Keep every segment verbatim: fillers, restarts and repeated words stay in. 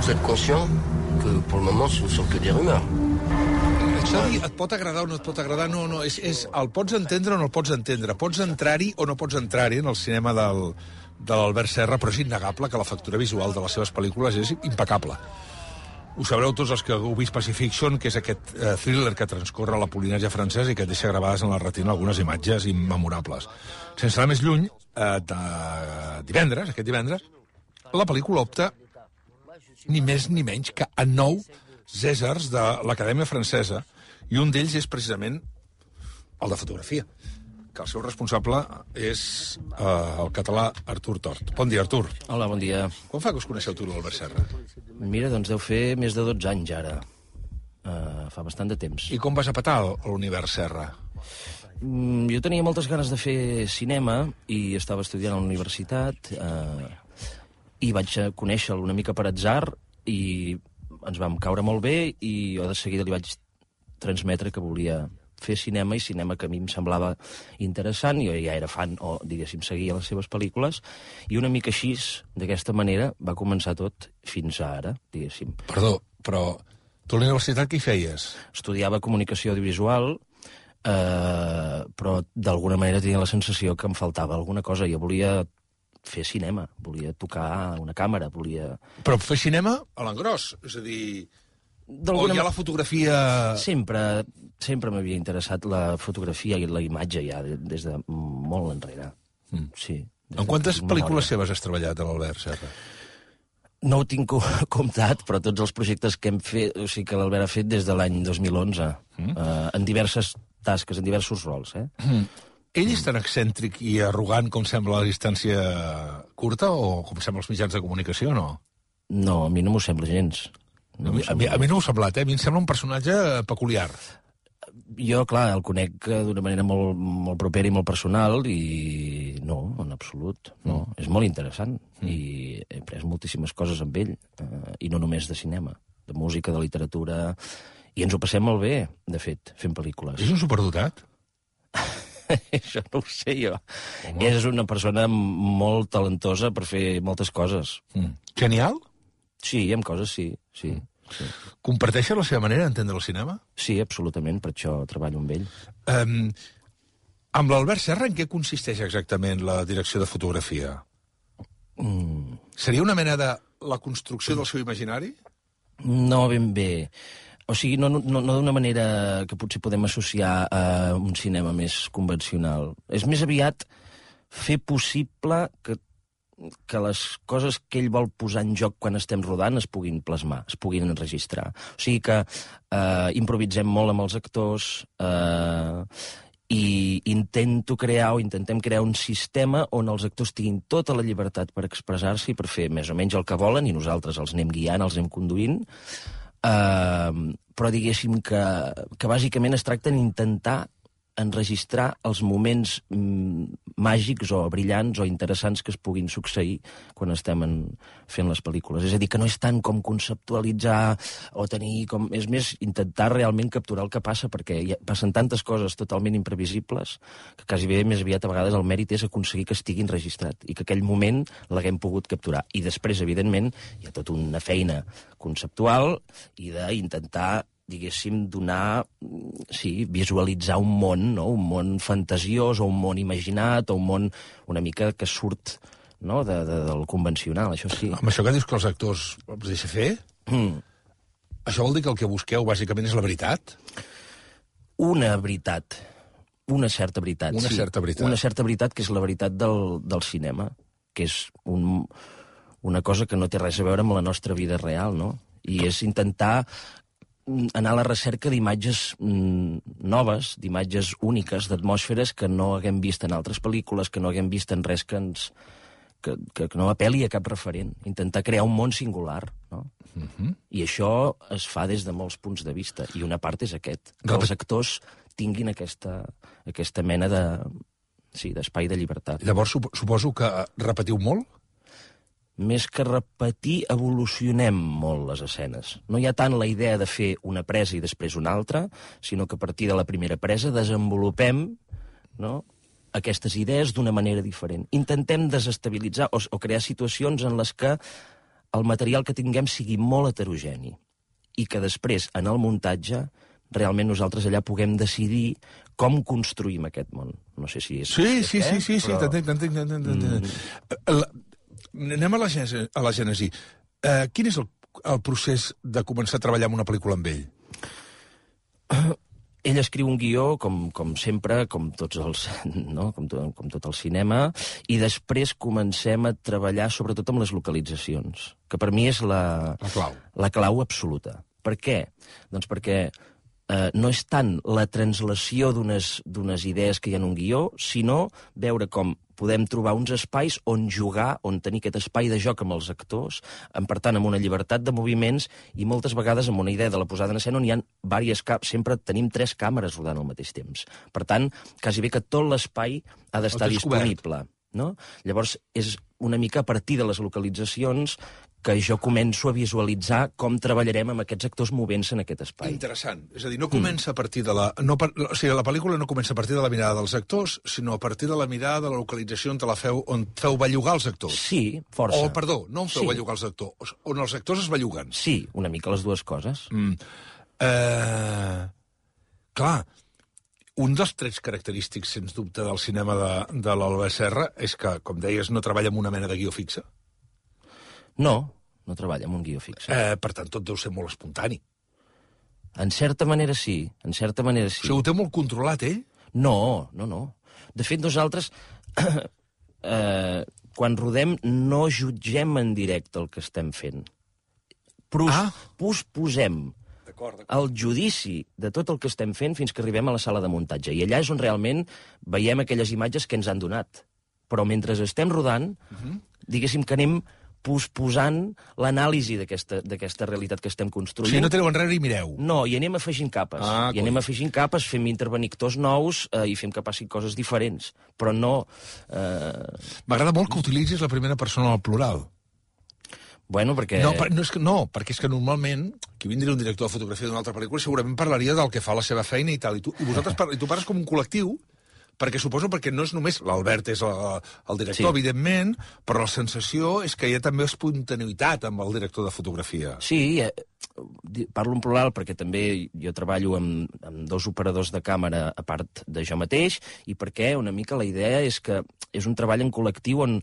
Vous êtes conscient que pour le moment ce ne sont que des rumeurs. Això dir, et pot agradar o no et pot agradar, no, no, és, és el pots entendre o no el pots entendre, pots entrar-hi o no pots entrar-hi en el cinema del, de l'Albert Serra, però és innegable que la factura visual de les seves pel·lícules és impecable. Ho sabreu tots els que heu vist Pacifiction, que és aquest eh, thriller que transcorre a la Polinèsia francesa i que et deixa gravades en la retina algunes imatges immemorables. Sense anar més lluny, eh, de divendres, aquest divendres, la pel·lícula opta ni més ni menys que a nou Cèsars de l'Acadèmia Francesa, i un d'ells és precisament el de fotografia, que el seu responsable és eh, el català Artur Tort. Bon dia, Artur. Hola, bon dia. Com fa que us coneixeu tu, l'Albert Serra? Mira, doncs deu fer més de dotze anys, ara. Uh, fa bastant de temps. I com vas a petar a l'univers Serra? Mm, jo tenia moltes ganes de fer cinema i estava estudiant a la universitat uh, i vaig conèixer-lo una mica per atzar i ens vam caure molt bé i jo de seguida li vaig transmetre que volia fer cinema, i cinema que a mi em semblava interessant. Jo ja era fan, o diguéssim, seguia les seves pel·lícules, i una mica així, d'aquesta manera, va començar tot fins a ara, diguéssim. Perdó, però tu a la universitat què hi feies? Estudiava comunicació audiovisual, eh, però d'alguna manera tenia la sensació que em faltava alguna cosa. Jo volia fer cinema, volia tocar una càmera, volia... Però fer cinema a l'engròs, és a dir... O ja la fotografia... Sempre, sempre m'havia interessat la fotografia i la imatge ja des de molt enrere. Mm. Sí. En quantes pel·lícules seves has treballat, a l'Albert Serra? No ho tinc comptat, però tots els projectes que hem fet, o sigui que l'Albert ha fet des de l'any dos mil onze, mm. eh, en diverses tasques, en diversos rols, eh? Mm. Ell és tan excèntric i arrogant com sembla a la distància curta, o com sembla als mitjans de comunicació, no? No, a mi no m'ho sembla gens. No a, mi, a, mi, a mi no m'ho ha semblat, eh? A mi em sembla un personatge peculiar. Jo, clar, el conec d'una manera molt, molt propera i molt personal, i no, en absolut, no. Mm. És molt interessant, mm. i he après moltíssimes coses amb ell, eh, i no només de cinema, de música, de literatura, i ens ho passem molt bé, de fet, fent pel·lícules. És un superdotat? Això no ho sé jo. Home. És una persona molt talentosa per fer moltes coses. Mm. Genial? Sí, amb coses sí, sí. Mm. sí. Comparteixes la seva manera d'entendre el cinema? Sí, absolutament, per això treballo amb ell. Um, amb l'Albert Serra, en què consisteix exactament la direcció de fotografia? Mm. Seria una mena de la construcció del seu imaginari? No, ben bé. O sigui, no, no, no d'una manera que potser podem associar a un cinema més convencional. És més aviat fer possible que, que les coses que ell vol posar en joc quan estem rodant es puguin plasmar, es puguin enregistrar. O sigui que eh, improvisem molt amb els actors, eh, i intento crear o intentem crear un sistema on els actors tinguin tota la llibertat per expressar-se i per fer més o menys el que volen, i nosaltres els anem guiant, els anem conduint. Uh, però diguéssim que, que bàsicament es tracta d'intentar enregistrar els moments mm, màgics o brillants o interessants que es puguin succeir quan estem en, fent les pel·lícules. És a dir, que no és tant com conceptualitzar o tenir com... És més, intentar realment capturar el que passa, perquè hi ha, passen tantes coses totalment imprevisibles que quasi bé més aviat a vegades el mèrit és aconseguir que estigui enregistrat i que aquell moment l'haguem pogut capturar. I després, evidentment, hi ha tota una feina conceptual i d'intentar, diguéssim, donar, sí, visualitzar un món, no? Un món fantasiós o un món imaginat o un món una mica que surt, no? de, de, del convencional, això sí. Amb això que dius que els actors els deixa fer, mm. això vol dir que el que busqueu bàsicament és la veritat? Una veritat, una certa veritat, una sí. Certa veritat. Una certa veritat, que és la veritat del, del cinema, que és un, una cosa que no té res a veure amb la nostra vida real, no? I és intentar anar a la recerca d'imatges mm, noves, d'imatges úniques, d'atmosferes que no haguem vist en altres pel·lícules, que no haguem vist en res que ens... que, que no apel·li a cap referent. Intentar crear un món singular, no? Uh-huh. I això es fa des de molts punts de vista, i una part és aquest, que els actors tinguin aquesta, aquesta mena de... sí, d'espai de llibertat. Llavors, suposo que repetiu molt? Més que repetir, evolucionem molt les escenes. No hi ha tant la idea de fer una presa i després una altra, sinó que a partir de la primera presa desenvolupem, no?, aquestes idees d'una manera diferent. Intentem desestabilitzar o, o crear situacions en les que el material que tinguem sigui molt heterogeni i que després, en el muntatge, realment nosaltres allà puguem decidir com construïm aquest món. No sé si és... Sí, sí, eh? sí, sí, sí, però... t'entenc, t'entenc, t'entenc. Mm. Anem a la gènesi. A la gènesi. Uh, quin és el, el procés de començar a treballar en una pel·lícula amb ell? Uh, ell escriu un guió, com, com sempre, com tots els, no? com, to, com tot el cinema, i després comencem a treballar sobretot amb les localitzacions, que per mi és la, la clau. La clau absoluta. Per què? Doncs perquè eh, no és tant la translació d'unes idees que hi ha en un guió, sinó veure com podem trobar uns espais on jugar, on tenir aquest espai de joc amb els actors, amb, per tant, amb una llibertat de moviments i moltes vegades amb una idea de la posada en escena on hi ha diverses càmeres, sempre tenim tres càmeres rodant al mateix temps. Per tant, quasi bé que tot l'espai ha d'estar disponible. No? Llavors, és una mica a partir de les localitzacions que jo començo a visualitzar com treballarem amb aquests actors movent-se en aquest espai. Interessant. És a dir, no comença a partir de la... No, o sigui, la pel·lícula no comença a partir de la mirada dels actors, sinó a partir de la mirada de la localització on, te la feu, on feu bellugar els actors. Sí, força. O, perdó, no on feu sí. bellugar els actors, on els actors es belluguen. Sí, una mica les dues coses. Mm. Eh... Clar, un dels trets característics, sens dubte, del cinema de, de l'Albert Serra és que, com deies, no treballa amb una mena de guió fixa. No, no treballa amb un guió fixe. Eh, per tant, tot deu ser molt espontani. En certa manera sí, en certa manera sí. O sigui, ho té molt controlat, ell? No, no, no. De fet, nosaltres, eh, quan rodem, no jutgem en directe el que estem fent. Pros, ah. Posposem el judici de tot el que estem fent fins que arribem a la sala de muntatge. I allà és on realment veiem aquelles imatges que ens han donat. Però mentre estem rodant, uh-huh. diguéssim que anem posposant l'anàlisi d'aquesta realitat que estem construint. O sigui, no tireu enrere i mireu. No, i anem afegint capes. Ah, I anem afegint capes, fem intervenir actors nous eh, i fem que passin coses diferents. Però no... Eh... M'agrada molt que utilitzis la primera persona al plural. Bueno, perquè... No, per, no, és que, no, perquè és que normalment, qui vindria un director de fotografia d'una altra pel·lícula segurament parlaria del que fa la seva feina i tal. I tu, i vosaltres par, i tu parles com un col·lectiu, perquè suposo perquè no és només... L'Albert és el, el director, sí. evidentment, però la sensació és que hi ha també espontaneïtat amb el director de fotografia. Sí, eh, parlo en plural perquè també jo treballo amb, amb dos operadors de càmera a part de jo mateix, i perquè una mica la idea és que és un treball en col·lectiu on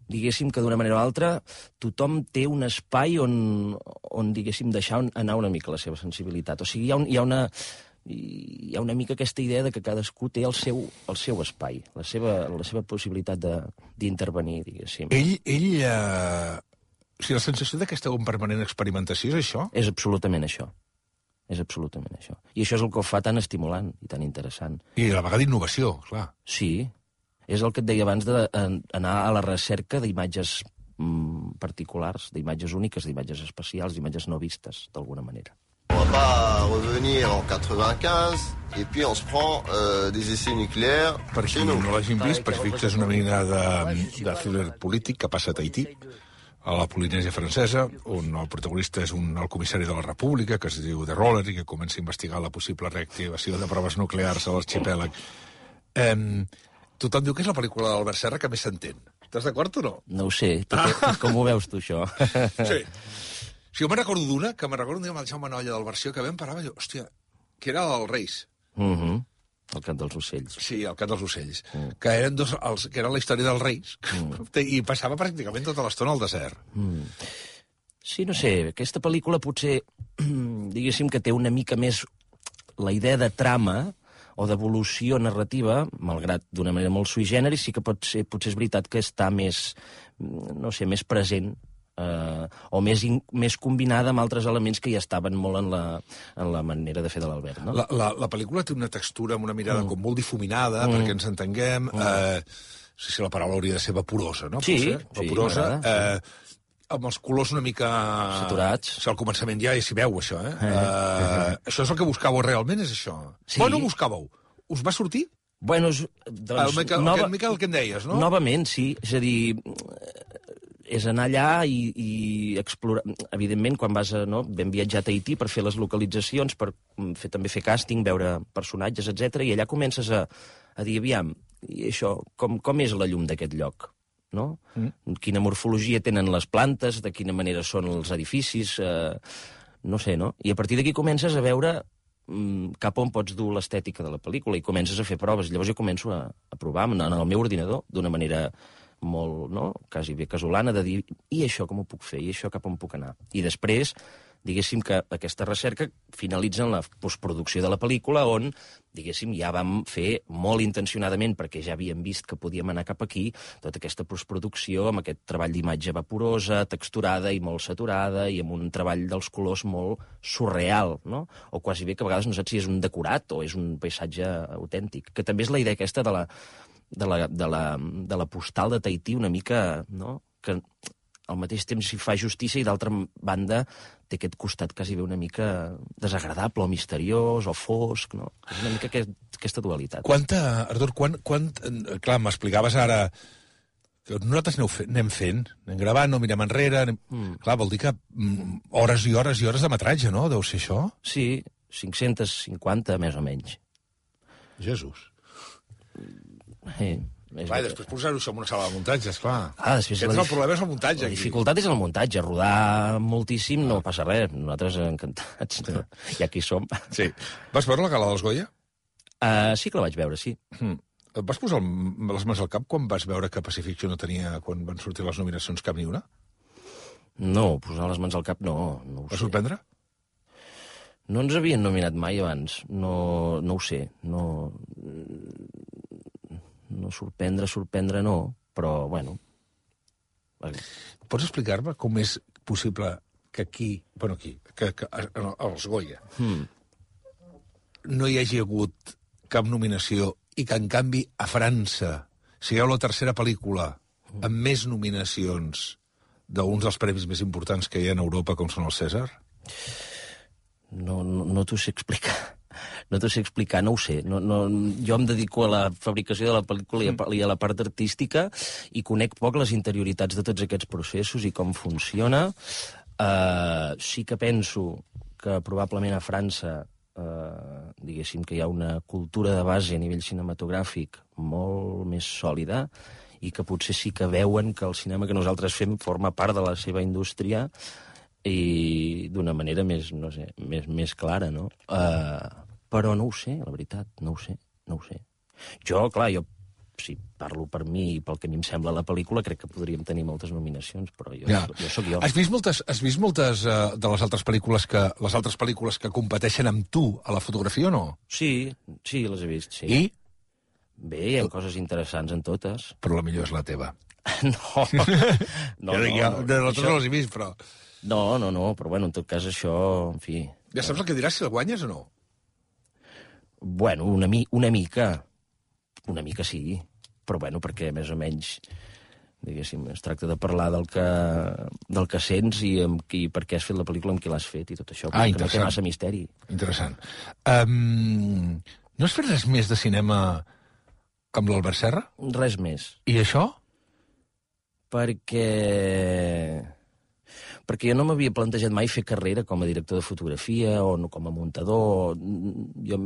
diguéssim que d'una manera o altra tothom té un espai on, on diguéssim, deixar anar una mica la seva sensibilitat. O sigui, hi ha, un, hi ha una... hi ha una mica aquesta idea de que cadascú té el seu, el seu espai, la seva, la seva possibilitat d'intervenir, diguéssim. Ell, ell eh... o sigui, la sensació de que esteu en permanent experimentació és això? És absolutament això. És absolutament això. I això és el que ho fa tan estimulant i tan interessant. I a la vegada innovació, clar. Sí. És el que et deia abans d'anar a la recerca d'imatges mm, particulars, d'imatges úniques, d'imatges especials, d'imatges no vistes, d'alguna manera. On va pas revenir en quatre-vingt-quinze et puis on se prend euh, des essais nucléaires. Per qui no l'hagin vist, Perfecte és una mena de, de thriller polític que passa a Tahití, a la Polinèsia francesa, on el protagonista és un, el comissari de la República, que es diu de Roller, i que comença a investigar la possible reactivació de proves nuclears a l'arxipèlag. Eh, tothom diu que és la pel·lícula d'Albert Serra que més s'entén. Estàs d'acord o no? No ho sé. Tu, ah. Com ho veus, tu, això? Sí. Si jo me'n recordo d'una, que me'n recordo un dia amb el Jaume Nolla del Versió, que vam parar, jo, hòstia, que era el Reis. Uh -huh. El cant dels ocells. Sí, el cant dels ocells. Mm. Que eren dos, els, que era la història dels Reis, mm. i passava pràcticament tota l'estona al desert. Mm. Sí, no sé, aquesta pel·lícula potser, diguéssim que té una mica més la idea de trama o d'evolució narrativa, malgrat d'una manera molt sui generis, sí que pot ser, potser és veritat que està més, no sé, més present, eh, o més, in, més combinada amb altres elements que ja estaven molt en la, en la manera de fer de l'Albert, no? La, la, la pel·lícula té una textura amb una mirada mm. com molt difuminada, mm. perquè ens entenguem, mm. eh, no sé si la paraula hauria de ser vaporosa, no? Sí, sí, vaporosa, eh, amb els colors una mica... saturats. O sigui, al començament ja s'hi veu, això, eh? eh, eh això és el que buscàveu realment, és això? Sí. Bueno, buscàveu? Us va sortir? Bueno, doncs... El Miquel, nova... el Miquel, el que em deies, no? Novament, sí. És a dir, és anar allà i, i explorar... Evidentment, quan vas a... No, vam viatjar a Tahití per fer les localitzacions, per fer, també fer càsting, veure personatges, etcètera, i allà comences a, a dir, aviam, i això, com, com és la llum d'aquest lloc? no? Mm. Quina morfologia tenen les plantes, de quina manera són els edificis, eh, no sé, no? I a partir d'aquí comences a veure mm, cap on pots dur l'estètica de la pel·lícula i comences a fer proves. Llavors jo començo a, a provar en el meu ordinador d'una manera molt, no?, quasi bé casolana, de dir, i això com ho puc fer, i això cap on puc anar. I després, diguéssim que aquesta recerca finalitza en la postproducció de la pel·lícula, on, diguéssim, ja vam fer molt intencionadament, perquè ja havíem vist que podíem anar cap aquí, tota aquesta postproducció amb aquest treball d'imatge vaporosa, texturada i molt saturada, i amb un treball dels colors molt surreal, no? O quasi bé que a vegades no saps si és un decorat o és un paisatge autèntic, que també és la idea aquesta de la de la, de la, de la postal de Tahití, una mica, no?, que al mateix temps s'hi fa justícia i d'altra banda té aquest costat quasi bé una mica desagradable o misteriós o fosc, no? És una mica aquest, aquesta dualitat. Quanta, Artur, quan, quan, clar, m'explicaves ara que nosaltres fe, anem fent, anem gravant, no mirem enrere, anem... Mm. Clar, vol dir que mm, hores i hores i hores de metratge, no? Deu ser això? Sí, cinc-centes cinquanta, més o menys. Jesús. Sí. Clar, després posar-ho això en una sala de muntatge, esclar. Ah, després Aquest la, el problema és el muntatge. La aquí. dificultat és el muntatge. Rodar moltíssim no passa res. Nosaltres encantats. No? Ja aquí som. Sí. Vas veure la gala dels Goya? Uh, sí que la vaig veure, sí. Hmm. Et vas posar les mans al cap quan vas veure que Pacific no tenia, quan van sortir les nominacions, cap ni una? No, posar les mans al cap no. no ho Va sé. sorprendre? No ens havien nominat mai abans. No, no ho sé. No... No sorprendre, sorprendre no, però, bueno... Pots explicar-me com és possible que aquí, bueno, aquí, que, que als Goya, hmm. no hi hagi hagut cap nominació i que, en canvi, a França sigueu la tercera pel·lícula amb més nominacions d'uns dels premis més importants que hi ha en Europa, com són els Cèsar? No, no, no t'ho sé explicar. No t'ho sé explicar, no ho sé. No, no, jo em dedico a la fabricació de la pel·lícula i a, i a la part artística i conec poc les interioritats de tots aquests processos i com funciona. Uh, sí que penso que probablement a França uh, diguéssim que hi ha una cultura de base a nivell cinematogràfic molt més sòlida i que potser sí que veuen que el cinema que nosaltres fem forma part de la seva indústria i d'una manera més, no sé, més, més clara, no? Uh, però no ho sé, la veritat, no ho sé, no ho sé. Jo, clar, jo, si parlo per mi i pel que a mi em sembla la pel·lícula, crec que podríem tenir moltes nominacions, però jo, ja. jo sóc jo. Has vist moltes, has vist moltes uh, de les altres pel·lícules que les altres pel·lícules que competeixen amb tu a la fotografia o no? Sí, sí, les he vist, sí. I? Bé, hi ha coses interessants en totes. Però la millor és la teva. no, no, no, jo, jo, no, no, no, això... no les he vist, però... No, no, no, però bueno, en tot cas això, en fi... Ja saps el que diràs si el guanyes o no? Bueno, una, mi una mica. Una mica sí. Però bueno, perquè més o menys, diguéssim, es tracta de parlar del que, del que sents i, amb qui, per què has fet la pel·lícula, amb qui l'has fet i tot això. Ah, que no té massa misteri. Interessant. Um, no has fet res més de cinema amb l'Albert Serra? Res més. I això? Perquè... perquè jo no m'havia plantejat mai fer carrera com a director de fotografia o no com a muntador. Jo,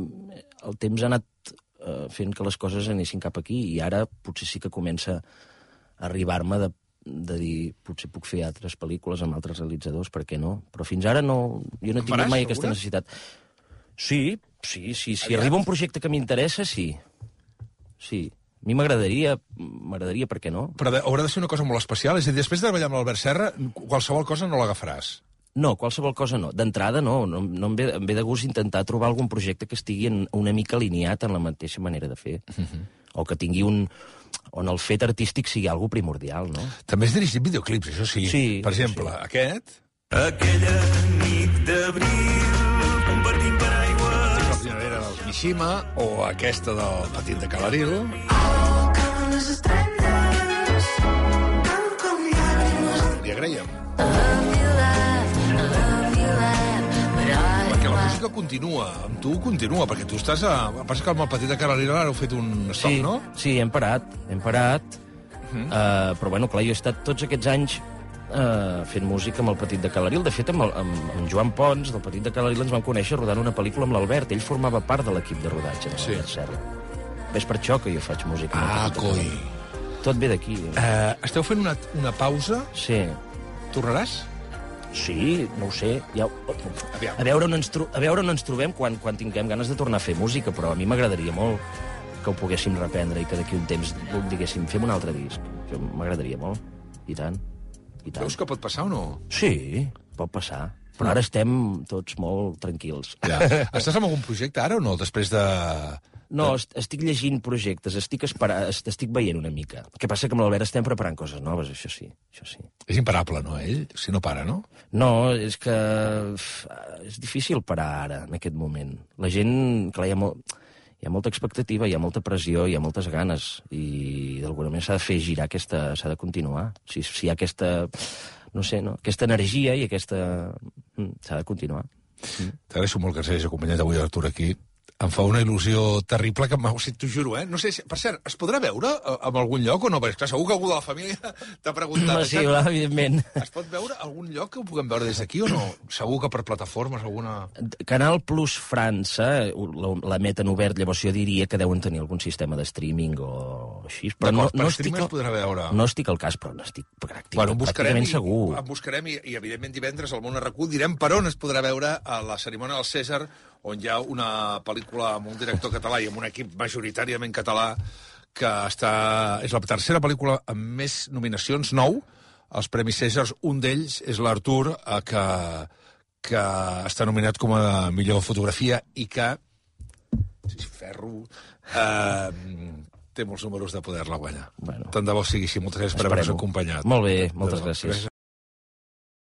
el temps ha anat eh, fent que les coses anessin cap aquí i ara potser sí que comença a arribar-me de, de dir potser puc fer altres pel·lícules amb altres realitzadors, per què no? Però fins ara no, jo no he tingut mai aquesta necessitat. Sí, sí, sí. Si arriba un projecte que m'interessa, sí. Sí. A mi m'agradaria, m'agradaria, per què no? Però haurà de ser una cosa molt especial? És a dir, després de treballar amb l'Albert Serra, qualsevol cosa no l'agafaràs? No, qualsevol cosa no. D'entrada no. no, no em, ve, em ve de gust intentar trobar algun projecte que estigui en, una mica alineat en la mateixa manera de fer. Uh -huh. O que tingui un... on el fet artístic sigui algo primordial, no? També has dirigit videoclips, això sí. Sí. Per exemple, sí. Aquest... Aquella nit d'abril compartim per aigua. La primavera del Mishima, o aquesta del Petit de Calaril. Li agraïem. Perquè la música continua, amb tu continua, perquè tu estàs a... Passa que amb el Petit de Calaril ara heu fet un stop, sí, no? Sí, hem parat, hem parat. Uh -huh. uh, però, bueno, clar, jo he estat tots aquests anys uh, fent música amb el Petit de Calaril. De fet, amb, el, amb, amb Joan Pons, del Petit de Calaril, ens vam conèixer rodant una pel·lícula amb l'Albert. Ell formava part de l'equip de rodatge de l'Albert sí. Serra. És per això que jo faig música. Ah, coi. Tot ve d'aquí. Uh, esteu fent una, una pausa. Sí. Tornaràs? Sí, no ho sé. Ja... Aviam. A veure on ens, tro... a veure on ens trobem quan, quan tinguem ganes de tornar a fer música, però a mi m'agradaria molt que ho poguéssim reprendre i que d'aquí un temps diguéssim, fem un altre disc. Això m'agradaria molt. I tant. I tant. Veus que pot passar o no? Sí, pot passar. Però ara estem tots molt tranquils. Ja. Estàs en algun projecte ara o no, després de... No, est estic llegint projectes, estic, esperant, estic veient una mica. El que passa que amb l'Albert estem preparant coses noves, això sí, això sí. És imparable, no, ell? Si no para, no? No, és que uf, és difícil parar ara, en aquest moment. La gent, clar, hi ha, molt, hi ha molta expectativa, hi ha molta pressió, hi ha moltes ganes, i d'alguna manera s'ha de fer girar aquesta... s'ha de continuar. Si, si hi ha aquesta... no sé, no? Aquesta energia i aquesta... s'ha de continuar. Mm. T'agraeixo molt que ens hagis acompanyat avui, Artur, aquí. Em fa una il·lusió terrible que m'ho t'ho juro, eh? No sé, si, per cert, es podrà veure en algun lloc o no? Perquè, clar, segur que algú de la família t'ha preguntat. No, sí, clar, evidentment. Es pot veure algun lloc que ho puguem veure des d'aquí o no? Segur que per plataformes, alguna... Canal Plus França l'emeten obert, llavors jo diria que deuen tenir algun sistema de streaming o així. Però no, per no streaming estic es podrà veure. No estic al cas, però n'estic pràcticament, bueno, pràcticament i, segur. En buscarem i, i, evidentment, divendres al Món Arracú direm per on es podrà veure a la cerimònia del Cèsar, on hi ha una pel·lícula amb un director català i amb un equip majoritàriament català que està... és la tercera pel·lícula amb més nominacions, nou, als Premis Cèsars. Un d'ells és l'Artur, eh, que, que està nominat com a millor fotografia i que, si ferro, eh, té molts números de poder-la guanyar. Bueno. Tant de bo sigui així. Moltes gràcies per haver-nos acompanyat. Molt bé, moltes gràcies.